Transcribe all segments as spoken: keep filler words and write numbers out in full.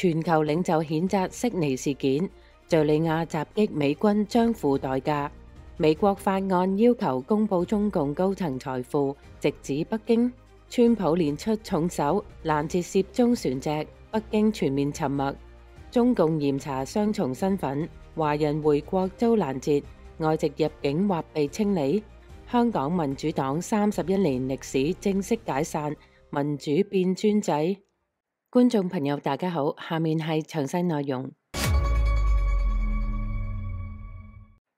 全球領袖譴責悉尼事件，敘利亞襲擊美軍將付代價。美國法案要求公布中共高層財富，直指北京。川普連出重手攔截涉中船隻，北京全面沉默。中共嚴查雙重身份，華人回國遭攔截，外籍入境或被清理。香港民主黨三十一年歷史正式解散，民主變專制。觀眾朋友大家好，下面係詳細內容。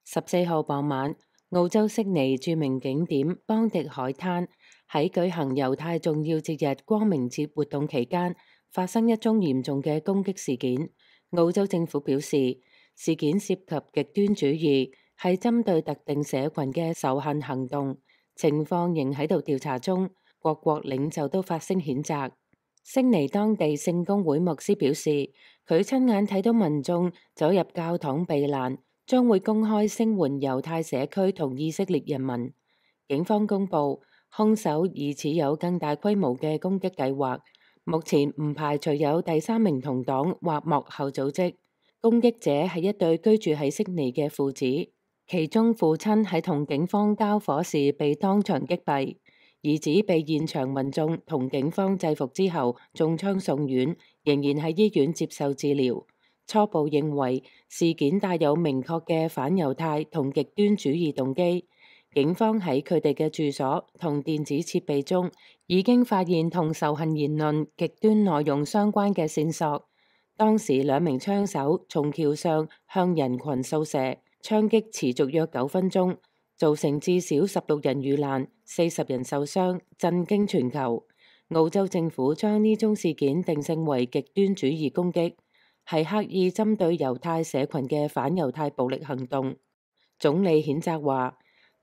十四號傍晚，澳洲悉尼著名景點邦迪海灘喺舉行猶太重要節日光明節活動期間，發生一宗嚴重嘅攻擊事件。澳洲政府表示，事件涉及極端主義，係針對特定社群嘅仇恨行動，情況仍喺度調查中。各國領袖都發聲譴責。悉尼當地聖公會牧師表示，佢親眼睇到民眾走入教堂避難，將會公開聲援猶太社區同以色列人民。警方公布，兇手疑似有更大規模嘅攻擊計劃，目前唔排除有第三名同黨或幕後組織。攻擊者係一對居住喺悉尼嘅父子，其中父親喺同警方交火時被當場擊斃。兒子被現場民眾同警方制服之後中槍送院，仍然喺醫院接受治療。初步認為事件帶有明確嘅反猶太同極端主義動機。警方喺佢哋嘅住所同電子設備中已經發現同仇恨言論、極端內容相關嘅線索。當時兩名槍手從橋上向人群掃射，槍擊持續約九分鐘，造成至少十六人遇難、四十人受傷，震驚全球。澳洲政府將呢宗事件定性為極端主義攻擊，係刻意針對猶太社群嘅反猶太暴力行動。總理譴責話，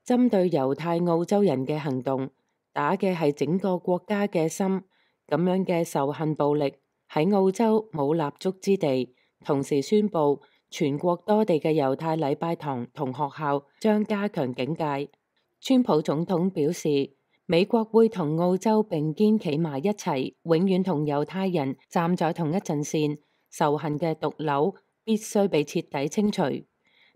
針對猶太澳洲人嘅行動，打嘅係整個國家嘅心，咁樣嘅仇恨暴力喺澳洲冇立足之地。同時宣布，全國多地嘅猶太禮拜堂同學校將加強警戒。川普總統表示，美國會同澳洲並肩企埋一齊，永遠同猶太人站在同一陣線。仇恨嘅毒瘤必須被徹底清除，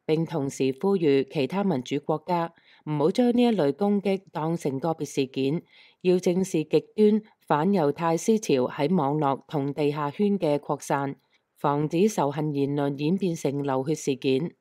並同時呼籲其他民主國家唔好將呢一類攻擊當成個別事件，要正視極端反猶太思潮喺網絡同地下圈嘅擴散，防止仇恨言論演變成流血事件。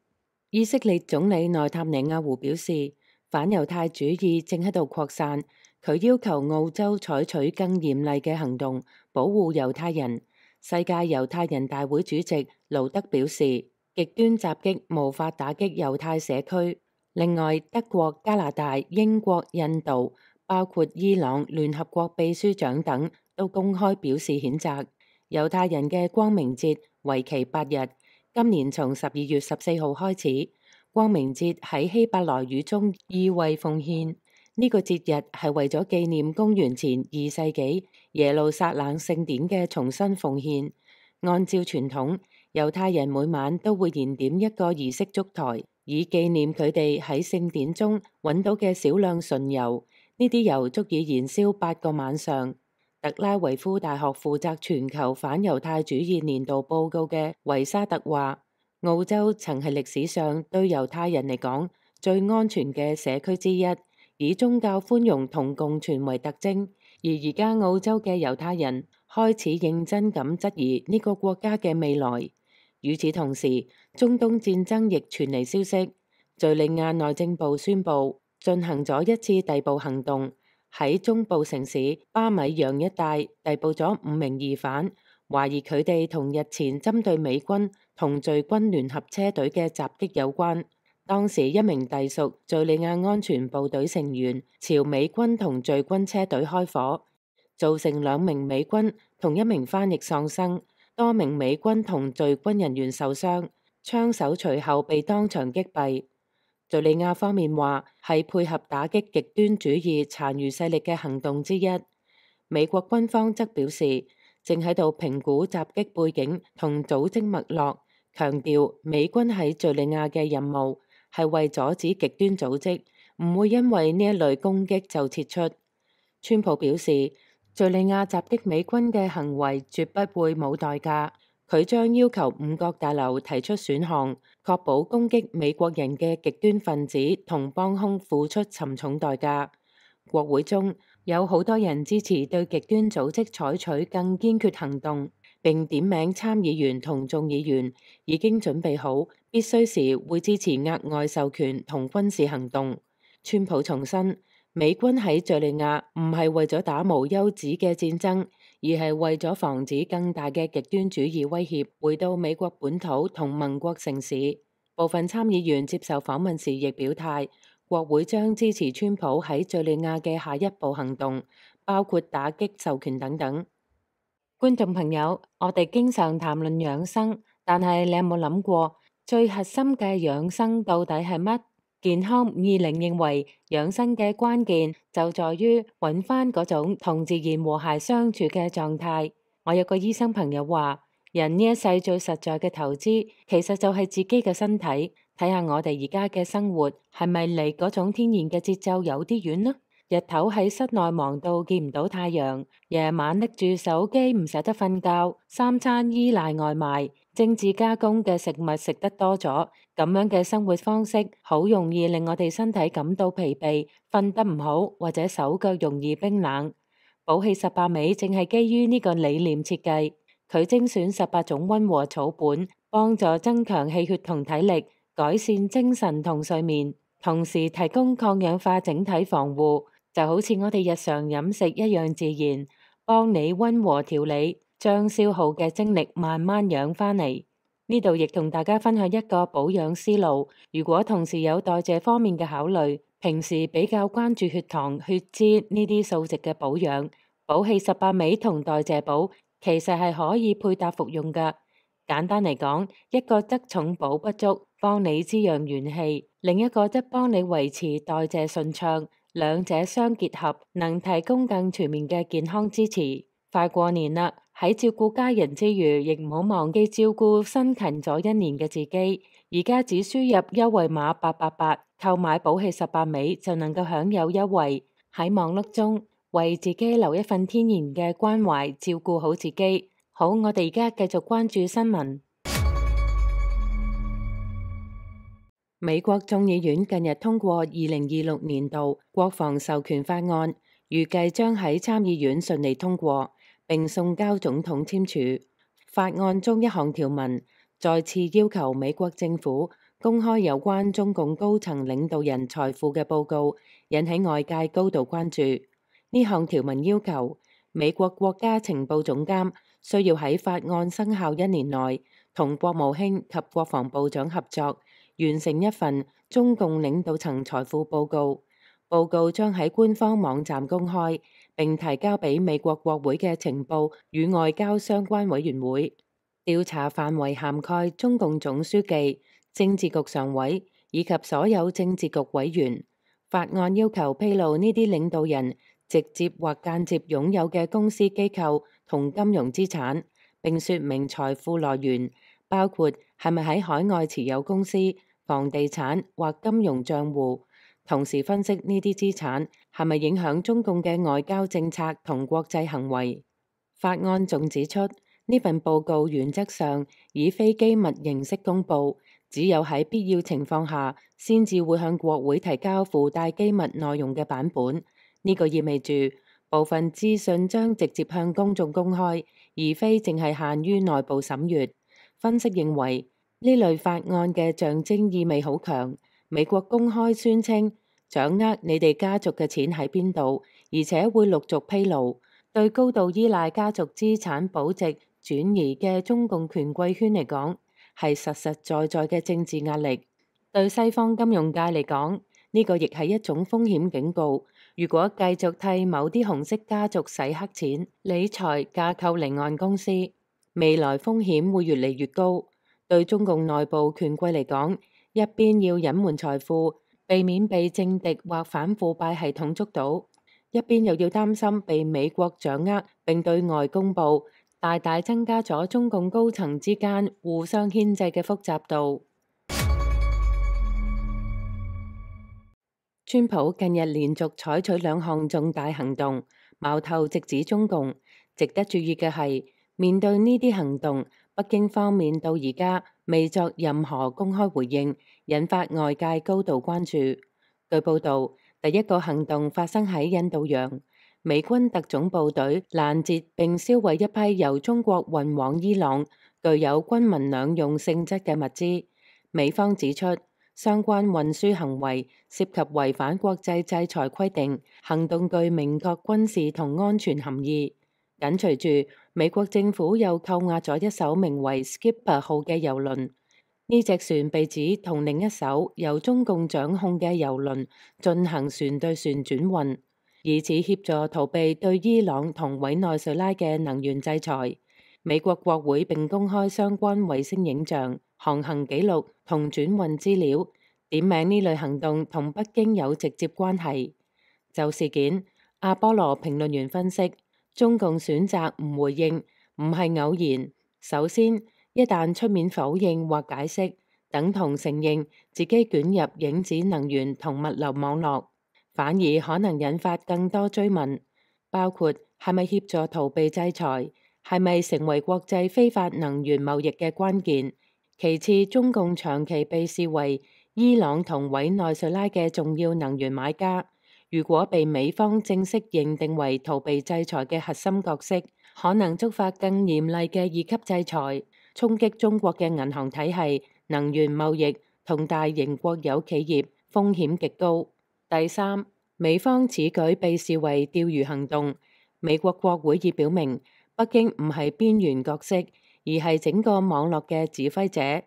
以色列總理內塔尼亞胡表示，反猶太主義正喺度擴散，佢要求澳洲採取更嚴厲嘅行動，保護猶太人。世界猶太人大會主席盧德表示，極端襲擊無法打擊猶太社區。另外，德國、加拿大、英國、印度，包括伊朗聯合國秘書長等，都公開表示譴責。猶太人嘅光明節為期八日，今年從十二月十四號開始。光明節喺希伯來語中意為奉獻，呢個節日係為咗紀念公元前二世紀耶路撒冷聖典嘅重新奉獻。按照傳統，猶太人每晚都會燃點一個儀式燭台，以紀念佢哋喺聖典中揾到嘅少量純油。呢啲油足以燃燒八個晚上。特拉維夫大學負責全球反猶太主義年度報告嘅維沙特話，澳洲曾係歷史上對猶太人嚟講最安全嘅社區之一，以宗教寬容同共存為特徵。而而家澳洲嘅猶太人開始認真咁質疑呢個國家嘅未來。與此同時，中東戰爭亦傳嚟消息，敘利亞內政部宣布進行咗一次逮捕行動，喺中部城市巴米揚一帶逮捕咗五名疑犯，懷疑佢哋同日前針對美軍同敘軍聯合車隊嘅襲擊有關。當時一名隸屬敘利亞安全部隊成員朝美軍同敘軍車隊開火，造成兩名美軍同一名翻譯喪生，多名美軍同敘軍人員受傷，槍手隨後被當場擊斃。敘利亞方面話係配合打擊極端主義殘餘勢力嘅行動之一。美國軍方則表示，正喺度評估襲擊背景同組織脈絡，強調美軍喺敘利亞嘅任務係為阻止極端組織，唔會因為呢一類攻擊就撤出。川普表示，敘利亞襲擊美軍嘅行為絕不會冇代價。佢將要求五角大樓提出選項，確保攻擊美國人嘅極端分子同幫兇付出沉重代價。國會中有好多人支持對極端組織採取更堅決行動，並點名參議員同眾議員已經準備好必須時會支持額外授權同軍事行動。川普重申，美軍喺敘利亞唔係為咗打無休止嘅戰爭，而係為咗防止更大嘅極端主義威脅回到美國本土同盟國城市。部分參議員接受訪問時亦表態，國會將支持川普喺敘利亞嘅下一步行動，包括打擊授權等等。觀眾朋友，我哋經常談論養生，但係你有冇諗過最核心嘅養生到底係乜？健康五二零認為養生嘅關鍵就在於揾翻嗰種同自然和諧相處嘅狀態。我有個醫生朋友話，人呢一世最實在嘅投資其實就係自己嘅身體。睇下我哋而家嘅生活係咪離嗰種天然嘅節奏有啲遠呢？日頭喺室內忙到見唔到太陽，夜晚拎住手機唔捨得瞓覺，三餐依賴外賣，精緻加工嘅食物食得多咗，咁樣嘅生活方式好容易令我哋身體感到疲憊，瞓得唔好，或者手腳容易冰冷。補氣十八味正係基於呢個理念設計，佢精選十八種溫和草本，幫助增強氣血同體力，改善精神同睡眠，同時提供抗氧化整體防護。就好似我哋日常飲食一樣自然，幫你溫和調理，將消耗嘅精力慢慢養返嚟。呢度亦同大家分享一個保養思路。如果同時有代謝方面嘅考慮，平時比較關注血糖、血脂呢啲數值嘅保養，補氣十八味同代謝寶其實係可以配搭服用㗎。簡單嚟講，一個則重補不足，幫你滋養元氣；另一個則幫你維持代謝順暢。兩者相結合，能提供更全面嘅健康支持。快過年啦，喺照顧家人之餘，亦唔好忘記照顧辛勤咗一年嘅自己。而家只輸入優惠碼八八八，購買補氣十八味就能夠享有優惠。喺忙碌中，為自己留一份天然嘅關懷，照顧好自己。好，我哋而家繼續關注新聞。美國眾議院近日通過二零二六年度國防授權法案，預計將喺參議院順利通過，並送交總統簽署。法案中一項條文再次要求美國政府公開有關中共高層領導人財富嘅報告，引起外界高度關注。呢項條文要求美國國家情報總監需要喺法案生效一年內，同國務卿及國防部長合作，完成一份中共領導層財富報告。報告將喺官方網站公開，並提交俾美國國會嘅情報與外交相關委員會。調查範圍涵蓋中共總書記、政治局常委以及所有政治局委員。法案要求披露呢啲領導人直接或間接擁有嘅公司機構同金融資產，並說明財富來源，包括係咪喺海外持有公司、房地產或金融賬戶，同時分析呢啲資產係咪影響中共嘅外交政策同國際行為。法案仲指出，呢份報告原則上以非機密形式公佈，只有喺必要情況下先至會向國會提交附帶機密內容嘅版本。呢個意味住部分資訊將直接向公眾公開，而非淨係限於內部審閱。分析認為，呢類法案嘅象徵意味好強。美國公開宣稱掌握你哋家族嘅錢喺邊度，而且會陸續披露。對高度依賴家族資產保值轉移嘅中共權貴圈嚟講，係實實在在嘅政治壓力。對西方金融界嚟講，呢個亦係一種風險警告。如果繼續替某啲紅色家族洗黑錢、理財、架構離岸公司，未來風險會越嚟越高。對中共內部權貴嚟講，一邊要隱瞞財富，避免被政敵或反腐敗系統捉到，一邊又要擔心被美國掌握並對外公佈，大大增加咗中共高層之間互相牽制嘅複雜度。川普近日連續採取兩項重大行動，矛頭直指中共。值得注意嘅係，面對呢啲行動，北京方面到而家未作任何公開回應，引發外界高度關注。據報道，第一個行動發生喺印度洋，美軍特種部隊攔截並銷毀一批由中國運往伊朗、具有軍民兩用性質嘅物資。美方指出，相關運輸行為涉及違反國際制裁規定，行動具明確軍事同安全含義。緊隨住，美國政府又扣押咗一艘名為 Skipper 號嘅郵輪。呢隻船被指同另一艘由中共掌控嘅郵輪進行船對船轉運，以此協助逃避對伊朗同委內瑞拉嘅能源制裁。美國國會並公開相關衛星影像、航行記錄同轉運資料，點名呢類行動同北京有直接關係。就事件，阿波羅評論員分析，中共選擇唔回應，唔係偶然。首先，一旦出面否認或解釋，等同承認自己捲入影子能源同物流網絡，反而可能引發更多追問，包括係咪協助逃避制裁，係咪成為國際非法能源貿易嘅關鍵。其次，中共長期被視為伊朗同委內瑞拉嘅重要能源買家，如果被美方正式認定為逃避制裁嘅核心角色，可能觸發更嚴厲嘅二級制裁，衝擊中國嘅銀行體系、能源貿易同大型國有企業，風險極高。第三，美方此舉被視為釣魚行動，美國國會已表明，北京唔係邊緣角色，而係整個網絡嘅指揮者。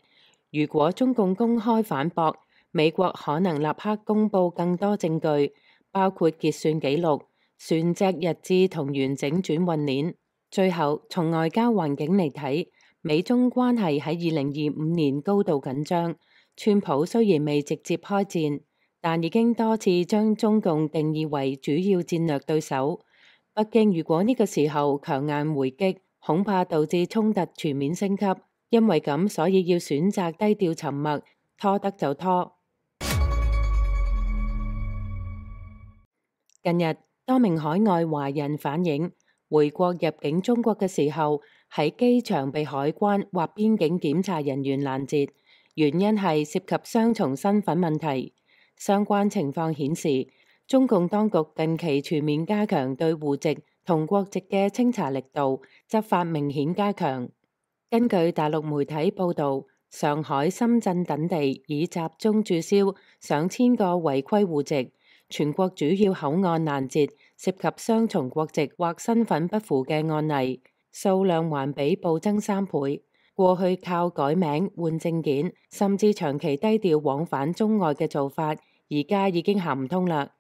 如果中共公開反駁，美國可能立刻公布更多證據，包括結算記錄、船隻日誌同完整轉運鏈。最後，從外交環境嚟睇，美中關係喺二零二五年高度緊張。川普雖然未直接開戰，但已經多次將中共定義為主要戰略對手。北京如果呢個時候強硬回擊，恐怕導致衝突全面升級。因為咁，所以要選擇低調沉默，拖得就拖。近日，多名海外華人反映，回國入境中國嘅時候，喺機場被海關或邊境檢查人員攔截，原因係涉及雙重身份問題。相關情況顯示，中共當局近期全面加強對戶籍同國籍嘅清查力度，執法明顯加強。根據大陸媒體報導，上海、深圳等地已集中註銷上千個違規戶籍，全國主要口岸攔截涉及雙重國籍或身份不符嘅案例，數量還比暴增三倍。過去靠改名換證件，甚至長期低調往返中外嘅做法，而家已經行唔通啦。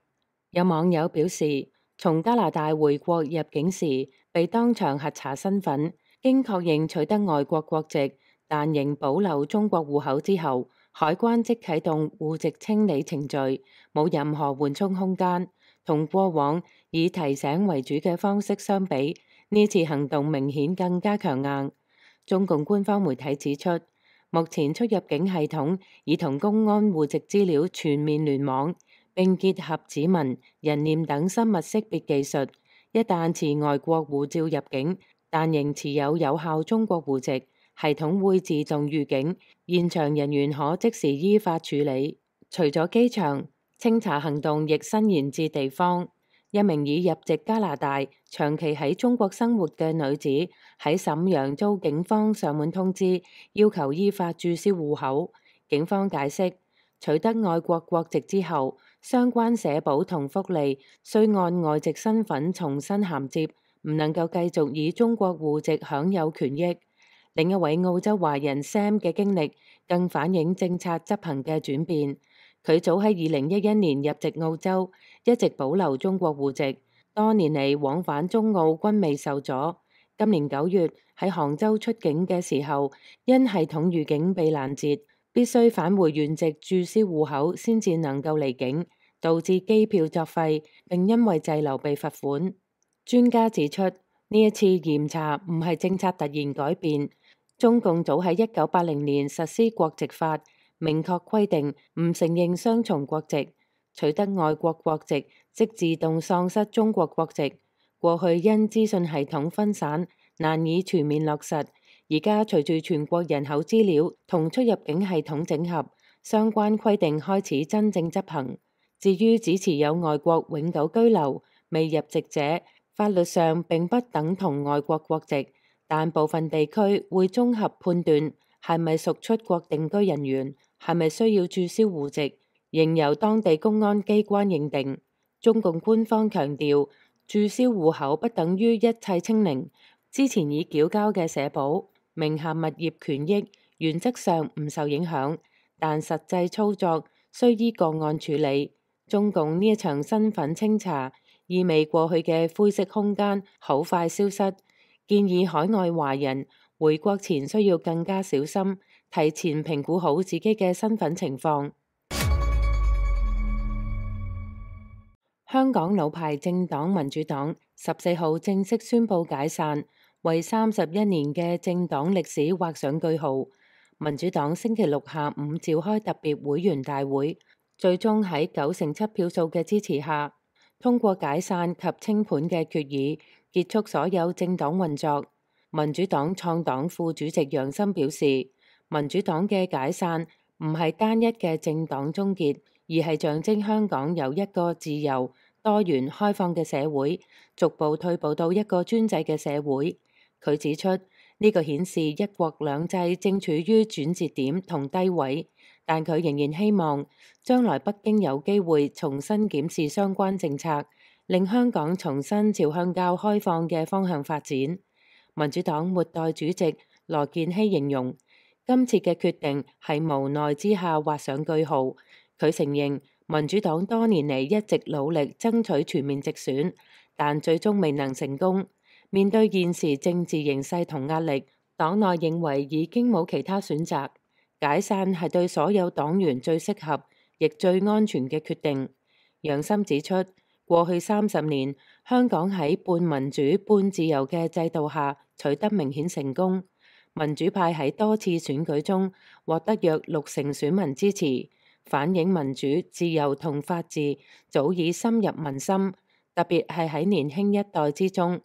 有網友表示，從加拿大回國入境時被當場核查身份，經確認取得外國國籍，但仍保留中國戶口之後，海關即啟動戶籍清理程序，冇任何緩衝空間。同過往以提醒為主嘅方式相比，呢次行動明顯更加強硬。中共官方媒體指出，目前出入境系統已同公安戶籍資料全面聯網，並結合指紋、人臉等生物識別技術，一旦持外國護照入境，但仍持有有效中國戶籍，系統會自動預警，現場人員可即時依法處理。除咗機場，清查行動亦伸延至地方。一名已入籍加拿大、長期喺中國生活嘅女子喺瀋陽遭警方上門通知，要求依法註銷戶口。警方解釋，取得外國國籍之後，相關社保同福利需按外籍身份重新銜接，唔能夠繼續以中國戶籍享有權益。另一位澳洲華人 Sam 嘅經歷更反映政策執行嘅轉變。佢早喺二零一一年入籍澳洲，一直保留中國戶籍，多年嚟往返中澳均未受阻。今年九月喺杭州出境嘅時候，因系統預警被攔截，必須返回原籍註銷戶口先至能夠離境，導致機票作廢，並因為滯留被罰款。專家指出，呢一次嚴查唔係政策突然改變，中共早喺一九八零年實施國籍法，明確規定唔承認雙重國籍，取得外國國籍即自動喪失中國國籍。過去因資訊系統分散，難以全面落實。而家隨住全國人口資料同出入境系統整合，相關規定開始真正執行。至於只持有外國永久居留未入籍者，法律上並不等同外國國籍，但部分地區會綜合判斷係咪屬出國定居人員，係咪需要註銷戶籍，仍由當地公安機關認定。中共官方強調，註銷戶口不等於一切清零，之前已繳交嘅社保、名下物業權益原則上唔受影響，但實際操作需依個案處理。中共呢一場身份清查，意味過去嘅灰色空間好快消失。建議海外華人回國前需要更加小心，提前評估好自己嘅身份情況。香港老牌政黨民主黨十四號正式宣布解散，為三十一年嘅政黨歷史畫上句號。民主黨星期六下午召開特別會員大會，最終喺九成七票數嘅支持下，通過解散及清盤嘅決議，結束所有政黨運作。民主黨創黨副主席楊森表示，民主黨嘅解散唔係單一嘅政黨終結，而係象徵香港由一個自由、多元、開放嘅社會，逐步退步到一個專制嘅社會。佢指出，呢個顯示一國兩制正處於轉折點同低位，但佢仍然希望將來北京有機會重新檢視相關政策，令香港重新朝向較開放嘅方向發展。民主黨末代主席羅健熙形容，今次嘅決定係無奈之下畫上句號。佢承認民主黨多年嚟一直努力爭取全面直選，但最終未能成功。面對現時政治形勢同壓力，黨內認為已經冇其他選擇，解散係對所有黨員最適合亦最安全嘅決定。楊森指出，過去三十年，香港喺半民主半自由嘅制度下取得明顯成功。民主派喺多次選舉中獲得約六成選民支持，反映民主、自由同法治早已深入民心，特別係喺年輕一代之中。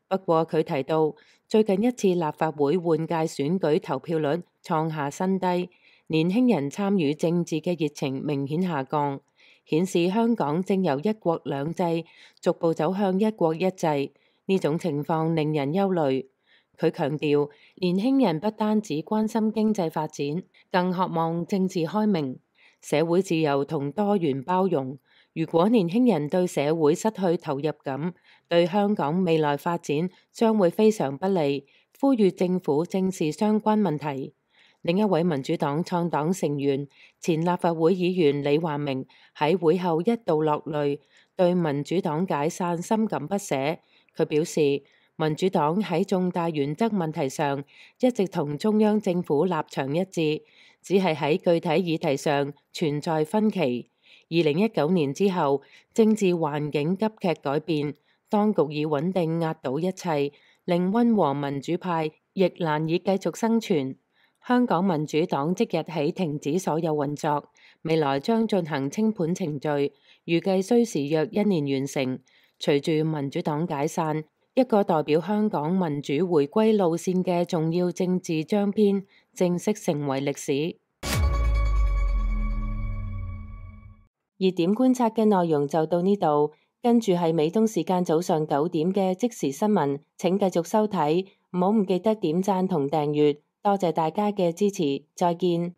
不過佢提到，最近一次立法會換屆選舉投票率創下新低，年輕人參與政治嘅熱情明顯下降，顯示香港正由一國兩制逐步走向一國一制。呢種情況令人憂慮。佢強調，年輕人不單只關心經濟發展，更渴望政治開明、社會自由同多元包容。如果年輕人對社會失去投入感，對香港未來發展將會非常不利。呼籲政府正視相關問題。另一位民主黨創黨成員、前立法會議員李華明喺會後一度落淚，對民主黨解散深感不捨。佢表示，民主黨喺重大原則問題上一直同中央政府立場一致，只係喺具體議題上存在分歧。二零一九年之後，政治環境急劇改變，當局以穩定壓倒一切，令溫和民主派亦難以繼續生存。香港民主黨即日起停止所有運作，未來將進行清盤程序，預計需時約一年完成。隨住民主黨解散，一個代表香港民主回歸路線嘅重要政治章篇正式成為歷史。熱點觀察嘅內容就到呢度，跟住係美東時間早上九點嘅即時新聞，請繼續收睇，唔好唔記得點讚同訂閱，多謝大家嘅支持，再見。